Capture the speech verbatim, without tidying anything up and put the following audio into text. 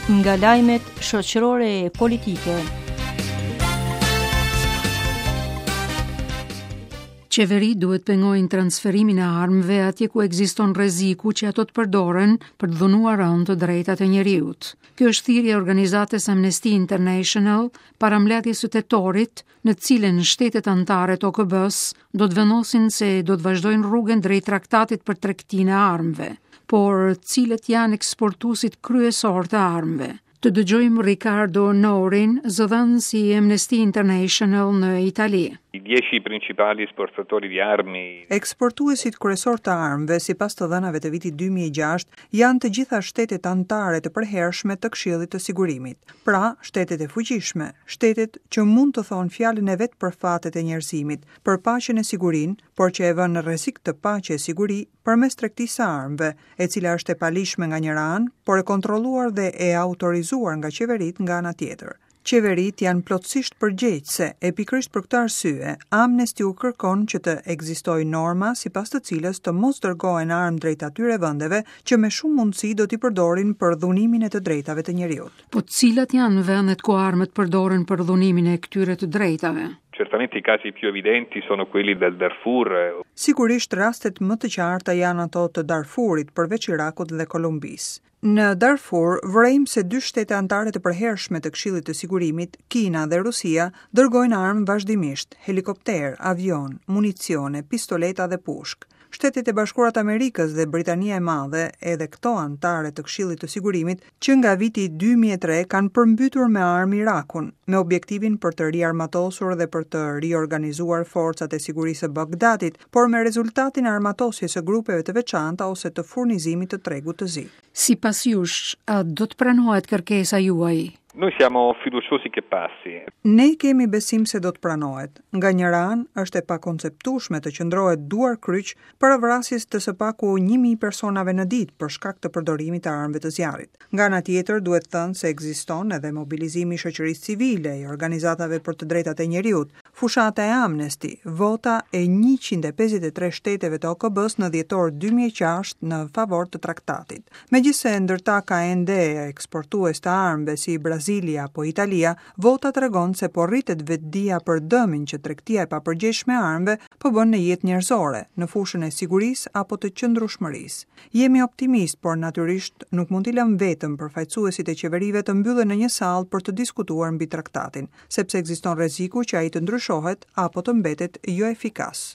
Nga lajmet shoqërore e politike. Qeveri duhet pengojnë transferimin e armëve atje ku ekziston rreziku që ato të përdoren për të dhunuar rëndë të drejtat e njeriut. Kjo është thirrja e organizatës Amnesty International para mbledhjes së tetorit, në të cilën shtetet anëtare të O K B-s do të vendosin se do të vazhdojnë rrugën drejt traktatit për tregtinë e armëve. Por cilët janë eksportuesit kryesor të armëve? Të dëgjojmë Riccardo Nourin, zëdhënës i Amnesty International në Itali. I dieci principali esportatori di armi. Eksportuesit kryesor të armëve, sipas të dhënave të vitit dy mijë e gjashtë, janë të gjitha shtetet anëtare të përhershme të Këshillit të Sigurimit. Pra, shtetet e fuqishme, shtetet që mund të thonë fjalën e vet për fatet e njerëzimit, për paqen e sigurinë, por që e vënë në rrezik të paqe e siguri përmes tregtisë së armëve, e cila është e palishme nga njëra anë, por e kontrolluar dhe e autorizuar nga qeveritë nga ana tjetër. Qeveritë janë plotësisht përgjegjëse e pikërisht për këtë arsye, Amnesty u kërkon që të ekzistojë norma sipas të cilës të mos dërgohen armë drejt atyre vendeve që me shumë mundësi do t'i përdorin për dhunimin e të drejtave të njeriut. Po cilat janë vendet ku armët përdoren për dhunimin e këtyre të drejtave? Certamente i casi più evidenti sono quelli del Darfur. Sigurisht rastet më të qarta janë ato të Darfurit, përveç Irakut dhe Kolumbisë. Në Darfur vërejmë se dy shtete anëtare të përhershme të Këshillit të Sigurimit, Kina dhe Rusia, dërgojnë armë vazhdimisht, helikopter, avion, municione, pistoleta dhe pushkë. Shtetet e Bashkuara të Amerikës dhe Britania e Madhe, edhe këto anëtare të Këshillit të Sigurimit, që nga viti dy mijë e tre kanë përmbytur me armë Irakun, me objektivin për të riarmatosur dhe për të riorganizuar forcat e sigurisë së Bagdadit, por me rezultatin e armatosjes së grupeve të veçanta ose të furnizimit të tregut të zi. Sipas jush, a do të pranohet kërkesa juaj? Noi siamo fiduciosi che passi. Ne kemi besim se do të pranohet. Nga njëra anë, është e pakonceptueshme të qëndrohet duar kryq para vrasjes të së paku një mijë personave në ditë për shkak të përdorimit të armëve të zjarrit. Nga ana tjetër, duhet thënë se ekziston edhe mobilizimi i shoqërisë civile, i organizatave për të drejtat e njeriut, fushata e Amnesty, vota e njëqind e pesëdhjetë e tre shteteve të O K B-s në dhjetor dy mijë e gjashtë në favor të traktatit. Megjithëse ndërta ka ende eksportues të armëve si Brazili apo Italia, vota tregon se po rritet vetëdija për dëmin që tregtia e papërgjegjshme e armëve po bën në jetë njerëzore, në fushën e sigurisë apo të qëndrueshmërisë. Jemi optimist, por natyrisht nuk mund t'i lëmë vetëm përfaqësuesit e qeverive të mbyllen në një sallë për të diskutuar mbi traktatin, sepse ekziston rreziku që ai të ndryshohet apo të mbetet jo efikas.